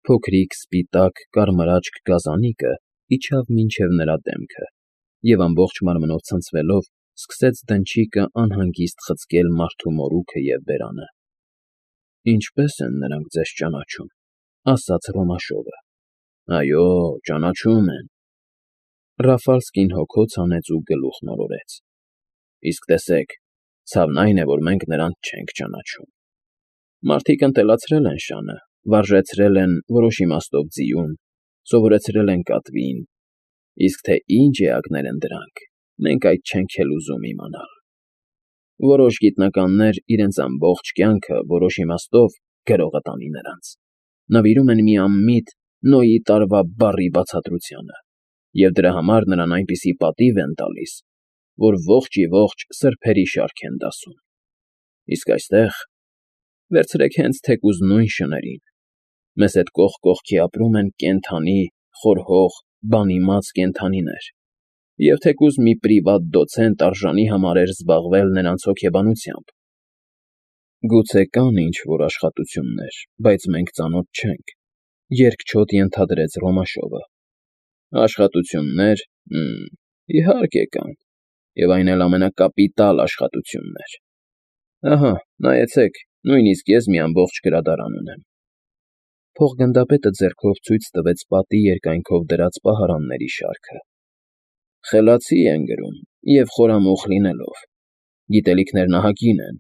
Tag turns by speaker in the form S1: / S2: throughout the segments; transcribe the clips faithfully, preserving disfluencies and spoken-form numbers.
S1: Փոքրիկ, սպիտակ, կարմրաճք գազանիկը իջավ մինչև նրա դեմքը և ամբողջ մարմնով ցնցվելով սկսեց դնչիկը անհանգիստ խցկել մարդու մորուքը և բերանը։ ֊ Ինչպե՞ս են նրանք ձեզ ճանաչում,֊ ասաց Ռոմաշովը։ ֊ Այո, ճանաչում են,֊ Ռաֆալսկին հոգոց հանեց ու գլուխն օրորեց։ ֊ Իսկ տեսեք, ցավն այն է, որ մենք նրանց չենք ճանաչում։ Մարդիկ ընտելացրել են շանը, վարժեցրել են, որոշ իմաստով ձիուն, սովորեցրել են կատվին, իսկ թե ինչ էակներ են դրանք, մենք այդ չենք էլ ուզում իմանալ։ Որոշ գիտնականներ իրենց ամբողջ կյանքը, որոշ իմաստով, գրողը տանի նրանց, նվիրում են մի անմիտ Նոյի տարվա բառի բացատրությանը, և դրա համար նրան այնպիսի պատիվ են տալիս, որ ողջ֊ի֊ողջ սրբերի շարք են դասում։ Իսկ այստեղ… վերցրեք հենց թեկուզ նույն շներին, մեզ հետ կողք կողքի ապրում են կենդանի, խորհող, բանիմաց կենդանիներ, և թեկուզ մի պրիվատ դոցենտ արժանի համարեր զբաղվել նրանց հոգեբանությամբ։ Գուցե կան ինչ֊որ աշխատություններ, բայց մենք ծանոթ չենք,֊ երկչոտ ենթադրեց Ռոմաշովը։ Աշխատություննե՞ր… Հը՜մ, իհարկե կան, և այն էլ ամենակապիտալ աշխատություններ… Ահա, նայեցեք, նույնիսկ ես մի ամբողջ գրադարան ունեմ։ Փոխգնդապետը ձեռքով ցույց տվեց պատի երկայնքով դրած պահարանների շարքը։ Խելացի են գրում, և խորամուխ լինելով, գիտելիքներն ահագին են,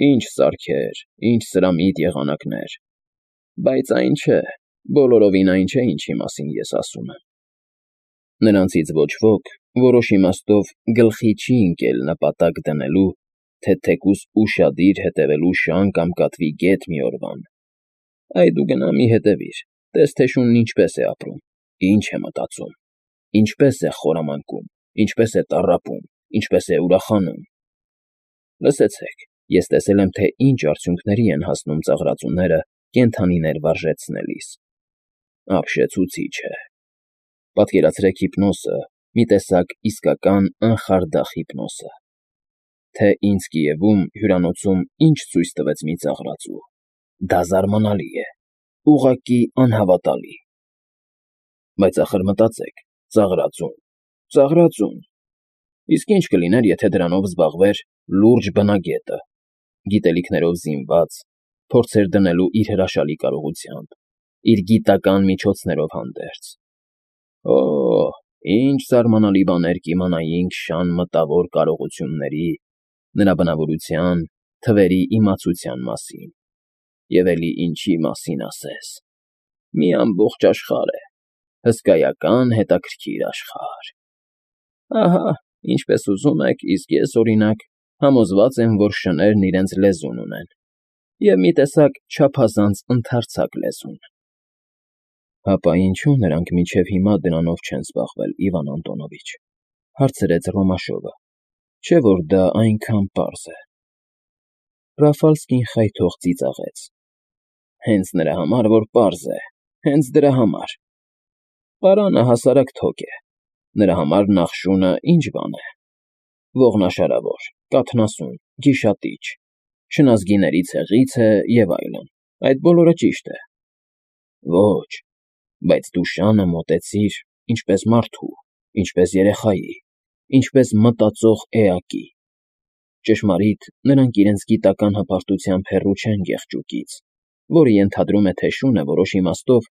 S1: ինչ սարքեր, ինչ սրամիտ եղանակներ, բայց այն չէ, բոլորովին այն չէ, ինչի մասին ես ասում եմ։ Նրանցից ոչ ոք, որոշ իմաստով, գլխի չի ընկել նպատակ դնելու, թե թեկուզ ուշադիր հետևելու շան կամ կատվի գետ մի օրվան։ Այ դու գնա մի հետևիր, տես թե շունն ինչպես է ապրում, ինչ է մտածում, ինչպես է խորամանկում, ինչպես է տառապում, ինչպես է ուրախանում։ Լսեցեք, ես տեսել եմ, թե ինչ արդյունքների են հասնում ծաղրածուները կենդանիներ վարժեցնելիս։ Ապշեցուցիչ է։ Պատկերացրեք հիպնոսը, մի տեսակ իսկական անխարդախ հիպնոսը։ Թե ինձ Կիևում, հյուրանոցում ինչ ցույց տվեց մի ծաղրածու, դա զարմանալի է, ուղղակի անհավատալի։ Բայց ախր մտածեք, ծաղրածուն, ծաղրածուն… Իսկ ինչ կլիներ, եթե դրանով զբաղվեր լուրջ բնագետը, գիտելիքներով զինված, փորձեր դնելու իր հրաշալի կարողությամբ, իր գիտական միջոցներով հանդերձ… Օ՜, ինչ զարմանալի բաներ կիմանայինք շան մտավոր կարողությունների, նրա բնավորության, թվերի իմացության մասին… Եվ էլի ինչի մասին ասես… Մի ամբողջ աշխարհ է, հսկայական հետաքրքիր աշխարհ… Ահա, ինչպես ուզում եք, իսկ ես, օրինակ, համոզված եմ, որ շներն իրենց լեզուն ունեն, և մի տեսակ չափազանց ընդարձակ լեզուն։ Հապա ինչո՞ւ նրանք մինչև հիմա դրանով չեն զբաղվել, Իվան Անդոնովիչ,֊ հարցրեց Ռոմաշովը,֊ չէ՞ որ դա այնքան պարզ է։ Ռաֆալսկին խայթող ծիծաղեց։ Հենց նրա համար, որ պարզ է, հենց դրա համար… Պարանը հասարակ թոք է, նրա համար նախշունը ինչ բան է… Ողնաշարավոր, կաթնասուն, գիշատիչ, շնազգիների ցեղից է և այլն, այդ բոլորը ճիշտ է… Ոչ, բայց դու շանը մոտեցիր ինչպես մարդու, ինչպես երեխայի, ինչպես մտածող էակի… Ճշմարիտ, նրանք իրենց գիտական հպարտությամբ հեռու չեն գեղջուկից, որը ենթադրում է, թե շունը որոշ իմաստով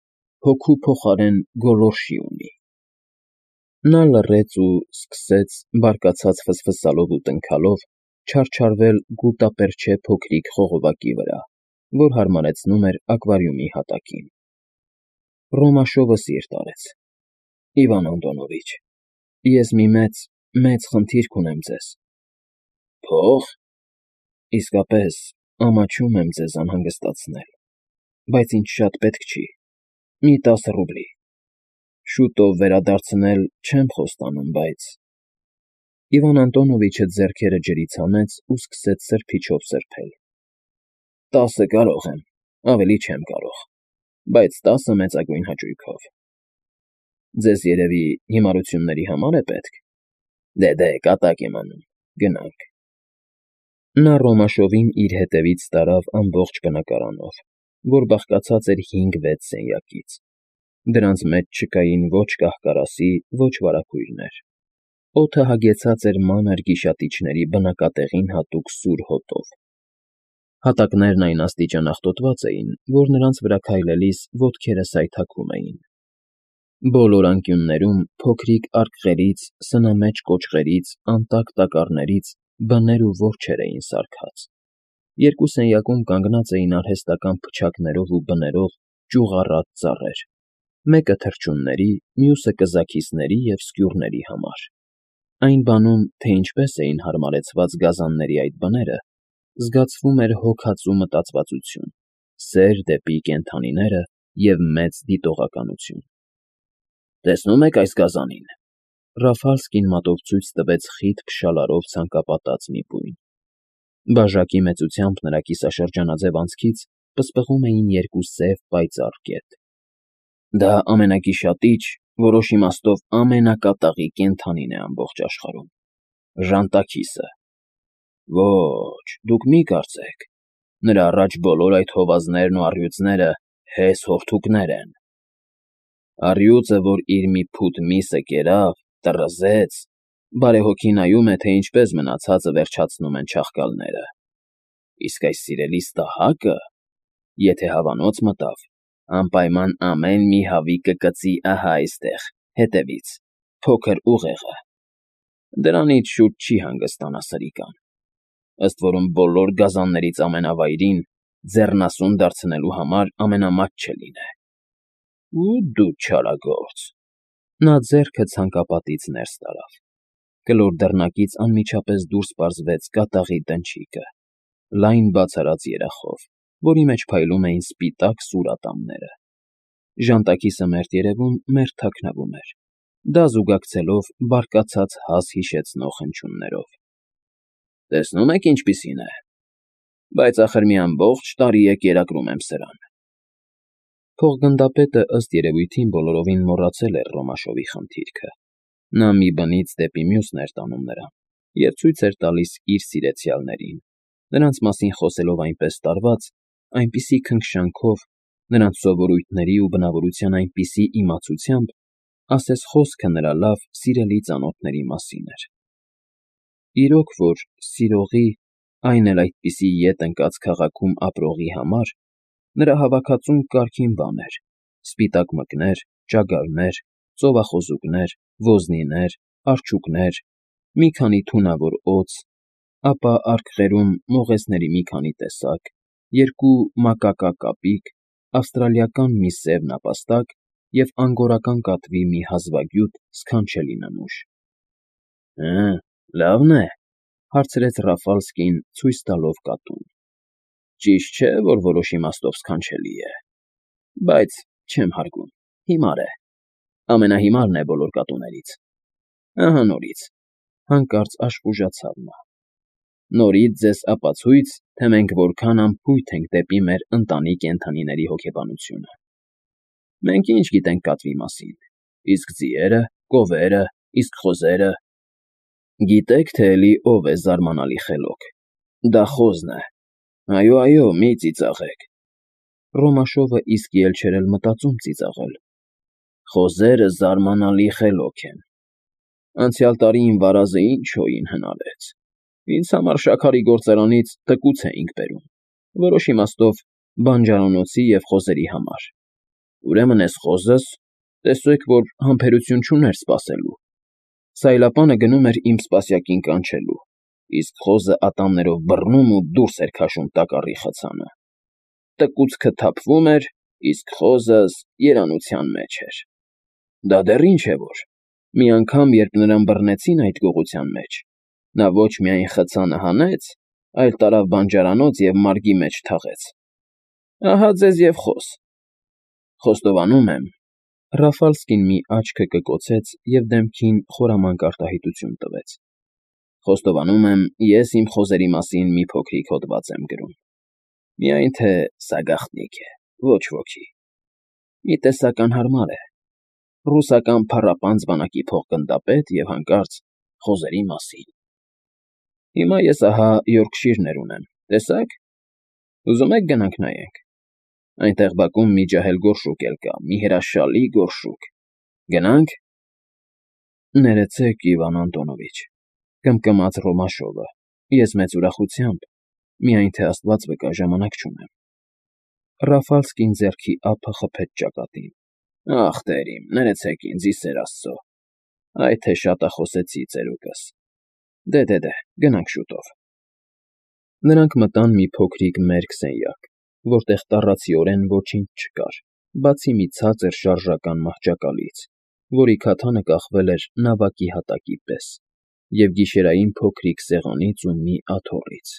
S1: հոգու փոխարեն գոլորշի ունի… Նա լռեց ու սկսեց, բարկացած ֆսֆսալով ու տնքալով, չարչարվել գուտապերճե փոքրիկ խողովակի վրա, որ հարմարեցնում էր ակվարիումի հատակին։ Ռոմաշովը սիրտ արեց. Իվան Անդոնովիչ, ես մի մեծ, մեծ խնդիրք ունեմ ձեզ։ Փո՞ղ… Իսկապես, ամաչում եմ ձեզ անհանգստացնել, բայց ինձ շատ պետք չի, մի տասը ռուբլի… Շուտով վերադարձնել չեմ խոստանում, բայց… Իվան Անդոնովիչը ձեռքերը ջրից հանեց ու սկսեց սրբիչով սրբել։ Տասը կարող եմ, ավելի չեմ կարող, բայց տասը մեծագույն հաճույքով… Ձեզ, երևի, հիմարությունների համար է պետք… Դե, կատակ եմ անում, գնանք… Նա Ռոմաշովին իր հետևից տարավ ամբողջ բնակարանով, որ բաղկացած էր հինգ֊վեց սենյակից. դրանց մեջ չկային ոչ կահ֊կարասի, ոչ վարագույրներ. օդը հագեցած էր մանր գիշատիչների բնակատեղին հատուկ սուր հոտով. հատակներն այն աստիճան աղտոտված էին, որ նրանց վրա քայլելիս ոտքերը սայթաքում էին. բոլոր անկյուններում փոքրիկ արկղերից, սնամեջ կոճղերից, անտակ տակառներից բներ ու որջեր էին սարքած. երկու սենյակում կանգնած էին արհեստական փչակներով ու բներով ճյուղառատ ծառեր, մեկը թռչունների, մյուսը կզաքիսների և սկյուռների համար. Այն բանում, թե ինչպես էին հարմարեցված գազանների այդ բները, զգացվում էր հոգածու մտածվածություն, սեր դեպի կենդանիները և մեծ դիտողականություն։ «Տեսնո՞ւմ եք այս գազանին,֊ Ռաֆալսկին մատով ցույց տվեց խիտ փշալարով ցանկապատած մի բույն. բաժակի մեծությամբ նրա կիսաշրջանաձև անցքից պսպղում էին երկու սև պայծառ կետ։ Դա ամենագիշատիչ, որոշ իմաստով ամենակատաղի կենդանին է ամբողջ աշխարհում, ժանտաքիսը։ Ոչ, դուք մի կարծեք, նրա առաջ բոլոր այդ հովազներն ու առյուծները հես հորթուկներ են։ Առյուծը, որ իր մի փութ միսը կերավ, տռզեց, բարեհոգի նայում է, թե ինչպես մնացածը վերջացնում են չաղկալները, իսկ այս սիրելի ստահակը, եթե հավանոց մտավ, անպայման ամեն մի հավի կկծի ահա այստեղ, հետևից, փոքր ուղեղը, դրանից շուտ չի հանգստանա սրիկան, ըստ որում բոլոր գազաններից ամենավայրին, ձեռնասուն դարձնելու համար ամենամատչը լինե։ Ու դու չարագործ… Նա ձեռքը ցանկապատից ներս տարավ. կլոր դռնակից անմիջապես դուրս պարզվեց կատաղի դնչիկը, լայն բացարած երախով, որի մեջ փայլում էին սպիտակ սուր ատամները։ Ժանտաքիսը մերթ երևում մերթ թաքնվում էր, դա զուգակցելով բարկացած հաս հիշեցնող հնչյուններով։ Տեսնո՞ւմ եք ինչպիսին է, բայց ախր մի ամբողջ տարի է կերակրում եմ սրան։ Փողգնդապետը, ըստ երևույթին, բոլորովին մոռացել էր Ռոմաշովի խնդիրքը. նա մի բնից դեպի մյուսն էր տանում նրան և ցույց էր տալիս իր սիրեցյալներին, նրանց մասին խոսելով այնպես տարված, այնպիսի քնքշանքով, նրանց սովորույթների ու բնավորության այնպիսի իմացությամբ, ասես խոսքը նրա լավ, սիրելի ծանոթների մասին էր։ Իրոք որ, սիրողի, այն էլ այդպիսի ետ ընկած քաղաքում ապրողի համար, նրա հավաքածուն կարգին բան էր. սպիտակ մկներ, ճագարներ, ծովախոզուկներ, ոզնիներ, արջուկներ, մի քանի թունավոր օձ, ապա արկղերում մողեսների մի քանի տեսակ, երկու մակակա կապիկ, ավստրալիական մի սև նապաստակ և անգորական կատվի մի հազվագյուտ սքանչելի նմուշ։ Հը, լավն է,֊ հարցրեց Ռաֆալսկին, ցույց տալով կատուն։ Ճիշտ չէ, որ որոշ իմաստով սքանչելի է, բայց չեմ հարգում, հիմար է, ամենահիմարն է բոլոր կատուներից։ Ահա նորից, հանկարծ աշխուժացավ նա, նորից ձեզ ապացույց, թե մենք որքան անփույթ ենք դեպի մեր ընտանի կենդանիների հոգեբանությունը։ Մենք ինչ գիտենք կատվի մասին, իսկ ձիերը, կովերը, իսկ խոզերը… Գիտեք, թե էլի ով է զարմանալի խելոք, դա խոզն է, այո, այո, մի ծիծաղեք… Ռոմաշովը իսկի էլ չէր էլ մտածում ծիծաղել։ Խոզերը զարմանալի խելոք են… Անցյալ տարի իմ վարազը ինչ հոյին հնարեց… Ինձ համար շաքարի գործարանից թկուց էինք բերում, որոշ իմաստով բանջարանոցի և խոզերի համար… Ուրեմն էս խոզս, տեսեք, որ համբերություն չուներ սպասելու… Սայլապանը գնում էր իմ սպասյակին կանչելու, իսկ խոզը ատամներով բռնում ու դուրս էր քաշում տակառի խցանը… Տկուցքը թափվում էր, իսկ խոզս երանության մեջ էր… Դա դեռ ինչ է որ, մի անգամ, երբ նրան բռնեցին այդ գողության մեջ, նա ոչ միայն խցանը հանեց, այլ տարավ բանջարանոց և մարգի մեջ թաղեց… Ահա ձեզ և խոս… Խոստովանում եմ… Ռաֆալսկին մի աչքը կկոցեց և դեմքին խորամանկ արտահայտություն տվեց… Խոստովանում եմ, ես իմ խոզերի մասին մի փոքրիկ հոդված եմ գրում… Միայն թե սա գաղտնիք է, ոչ ոքի… Մի տեսակ անհարմար է… Ռուսական փառապանծ բանակի փոխգնդապետ և հանկարծ խոզերի մասին… Հիմա ես ահա Յորքշիրներ ունեմ, տեսա՞ք, ուզում եք գնանք նայենք… Այնտեղ բակում մի ջահել գորշուկ էլ կա, մի հրաշալի գորշուկ։ Գնա՞նք։ Ներեցեք, Իվան Անտոնովիչ, կմկմաց Ռոմաշովը, ես մեծ ուրախությամբ, միայն թե աստված վկա, ժամանակ չունեմ։ Ռաֆալսկին ձեռքի ափը խփեց ճակատին։ Ախ, տեր իմ, ներեցեք ինձ, ի սեր Աստծո։ Այ թե շատախոսեցի, ծերուկս։ Դե-դե-դե, գնանք շուտով։ Նրանք մտան մի փոքրիկ մերկ սենյակ, որտեղ տառացիորեն ոչինչ չկար, բացի մի ցածր շարժական մահճակալից, որի քաթանը կախվել էր նավակի հատակի պես, և գիշերային փոքրիկ սեղանից ու մի աթոռից։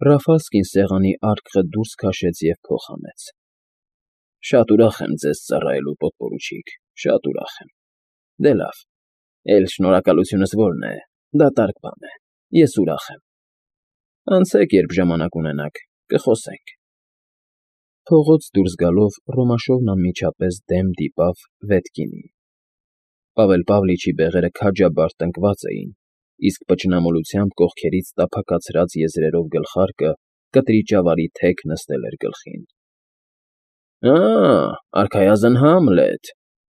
S1: Ռաֆալսկին սեղանի արկղը դուրս քաշեց և փոխանեց։ Շատ ուրախ եմ ձեզ ծառայելու, պոդպորուչիկ, շատ ուրախ եմ։ Դե լավ, էլ շնորհակալությունս որն է, դատարկ բան է, ես ուրախ եմ։ Անցեք, երբ ժամանակ ունենաք, կխոսենք։ Փողոց դուրս գալով Ռոմաշովն անմիջապես դեմ դիպավ Վետկինին։ Պավել Պավլիչի բեղերը քաջաբար տնկված էին, իսկ պճնամոլությամբ կողքերից տափակացրած եզրերով գլխարկը կտրիճավարի թեք նստել էր գլխին։ Ա՜, արքայազն Համլետ,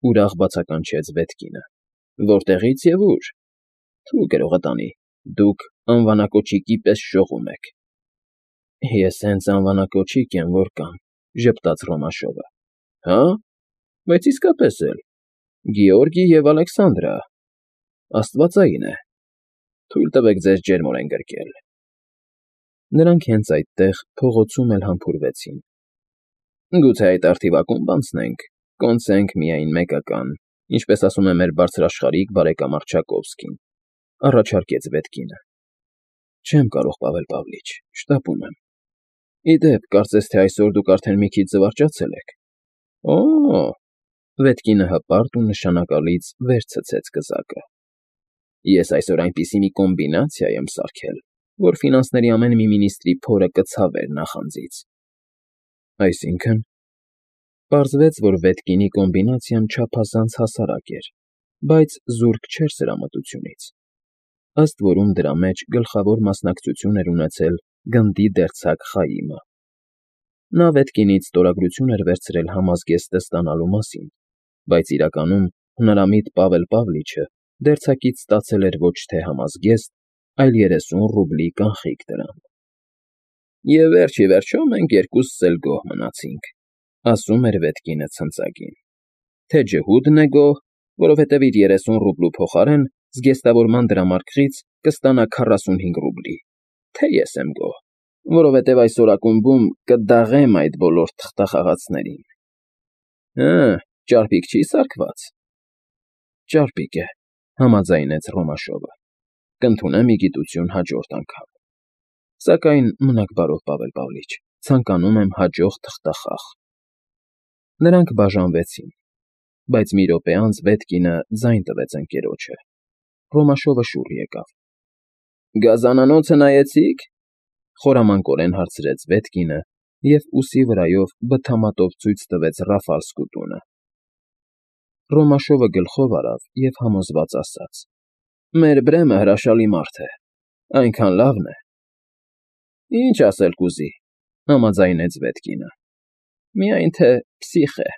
S1: ուրախ բացականչեց Վետկինը։ Որտեղից և ուր։ Թու գրողը տանի, դուք անվանակոչիկի պես շողում եք։ Ես հենց անվանակոչիկ եմ, որ կամ, ժպտաց Ռոմաշովը։ Հա՞, բայց իսկապես էլ, Գեորգի և Ալեքսանդրա, աստվածային է, թույլ տվեք ձեզ ջերմորեն գրկել։ Նրանք հենց այդտեղ փողոցում էլ համբուրվեցին։ Գուցե այդ արթիվակումբ անցնենք, կոնցենք միայն մեկական, ինչպես ասում է մեր բարձրաշխարհիկ բարեկամ Առջակովսկին, առաջարկեց Վետկինը։ Չեմ կարող, Պավել Պավլիչ, շտապում եմ։ Ի դեպ, կարծես թե այսօր դուք արդեն մի քիչ զվարճացել եք։ Օ՜, Վետկինը հպարտ ու նշանակալից վեր ցցեց կզակը։ Ես այսօր այնպիսի մի կոմբինացիա եմ սարքել, որ ֆինանսների ամեն մի մինիստրի փորը կցավեր նախանձից։ Այսինքն… Պարզվեց, որ Վետկինի կոմբինացիան չափազանց հասարակ էր, բայց զուրկ չէր սրամտությունից, ըստ որում դրա մեջ գլխավոր մասնակցություն էր ունեցել գնդի դերձակ Խայիմը։ Նա Վետկինից ստորագրություն էր վերցրել համազգեստը ստանալու մասին, բայց իրականում հնարամիտ Պավել Պավլիչը դերձակից ստացել էր ոչ թե համազգեստ, այլ երեսուն ռուբլի կանխիկ դրամ։ Եվ վերջ ի վերջո մենք երկուսս էլ գոհ մնացինք, ասում էր Վետկինը ցնծակին։ Թե ջհուդն է գոհ, որովհետև իր երեսուն ռուբլու փոխարեն զգեստավորման դրամարկղից կստանա քառասունհինգ ռուբլի, թե ես եմ գոհ, որովհետև այսօր ակումբում կդաղեմ այդ բոլոր թղթախաղացներին։ Հը, ճարպիկ չի՞ սարքված։ Ճարպիկ է, համաձայնեց Ռոմաշովը։ Կընդունեմ ի գիտություն հաջորդ անգամ։ Սակայն մնաք բարով, Պավել Պավլիչ, ցանկանում եմ հաջող թղթախաղ։ Նրանք բաժանվեցին, բայց մի րոպե անց Վետկինը ձայն տվեց ընկերոջը։ Ռոմաշովը շուռ եկավ։ Գազանանոցը նայեցի՞ք, խորամանկորեն հարցրեց Վետկինը և ուսի վրայով բթամատով ցույց տվեց Ռաֆալսկու տունը։ Ռոմաշովը գլխով արավ և համոզված ասաց. Մեր Բրեմը հրաշալի մարդ է, այնքան լավն է։ Ինչ ասել կուզի, համաձայնեց Վետկինը։ Միայն թե պսիխ է։